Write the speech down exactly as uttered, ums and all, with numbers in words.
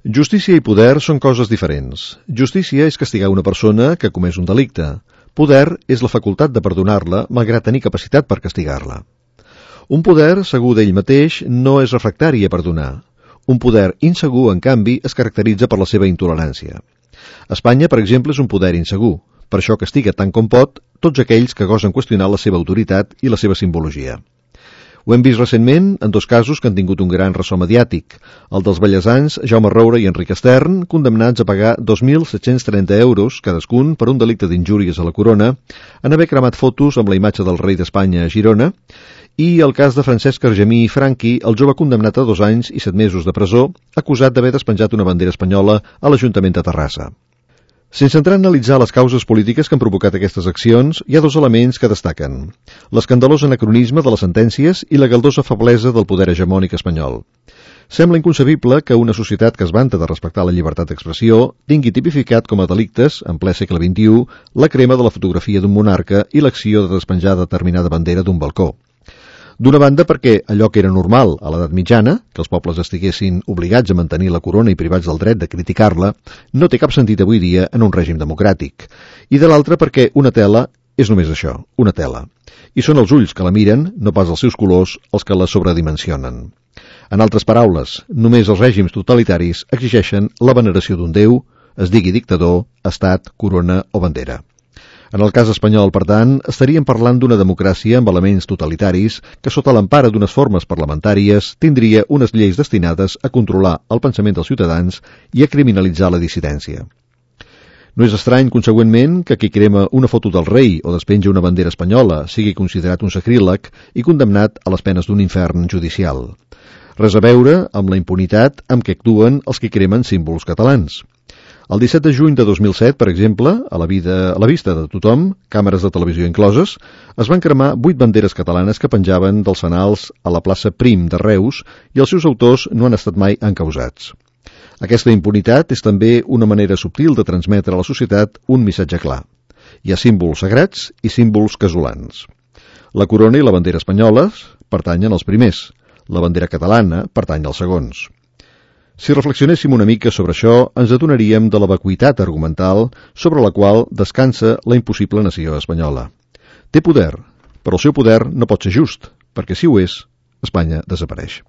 Justícia i poder són coses diferents. Justícia és castigar una persona que ha comès un delicte. Poder és la facultat de perdonar-la, malgrat tenir capacitat per castigar-la. Un poder segur d'ell mateix no és refractari a perdonar. Un poder insegur, en canvi, es caracteritza per la seva intolerància. Espanya, per exemple, és un poder insegur. Per això castiga tant com pot tots aquells que gosen qüestionar la seva autoritat i la seva simbologia. Ho hem vist recentment en dos casos que han tingut un gran ressò mediàtic, el dels bellesans Jaume Roure i Enric Estern, condemnats a pagar dos mil set-cents trenta euros cadascun per un delicte d'injúries a la corona, en haver cremat fotos amb la imatge del rei d'Espanya a Girona, i el cas de Francesc Argemí i Franqui, el jove condemnat a dos anys i set mesos de presó, acusat d'haver despenjat una bandera espanyola a l'Ajuntament de Terrassa. Sense entrar a analitzar les causes polítiques que han provocat aquestes accions, hi ha dos elements que destaquen: l'escandalós anacronisme de les sentències i la galdosa feblesa del poder hegemònic espanyol. Sembla inconcebible que una societat que es vanta de respectar la llibertat d'expressió tingui tipificat com a delictes, en ple segle vint-i-u, la crema de la fotografia d'un monarca i l'acció de despenjar determinada bandera d'un balcó. D'una banda perquè allò que era normal a l'edat mitjana, que els pobles estiguessin obligats a mantenir la corona i privats del dret de criticar-la, no té cap sentit avui dia en un règim democràtic. I de l'altra perquè una tela és només això, una tela. I són els ulls que la miren, no pas els seus colors, els que la sobredimensionen. En altres paraules, només els règims totalitaris exigeixen la veneració d'un déu, es digui dictador, estat, corona o bandera. En el cas espanyol, per tant, estaríem parlant d'una democràcia amb elements totalitaris que, sota l'empara d'unes formes parlamentàries, tindria unes lleis destinades a controlar el pensament dels ciutadans i a criminalitzar la dissidència. No és estrany, consegüentment, que qui crema una foto del rei o despenja una bandera espanyola sigui considerat un sacríleg i condemnat a les penes d'un infern judicial. Res a veure amb la impunitat amb què actuen els que cremen símbols catalans. El disset de juny de dos mil set, per exemple, a la, vida, a la vista de tothom, càmeres de televisió incloses, es van cremar vuit banderes catalanes que penjaven dels fanals a la plaça Prim de Reus i els seus autors no han estat mai encausats. Aquesta impunitat és també una manera subtil de transmetre a la societat un missatge clar. Hi ha símbols sagrats i símbols casolans. La corona i la bandera espanyoles pertanyen als primers, la bandera catalana pertany als segons. Si reflexionéssim una mica sobre això, ens adonaríem de la vacuïtat argumental sobre la qual descansa la impossible nació espanyola. Té poder, però el seu poder no pot ser just, perquè si ho és, Espanya desapareix.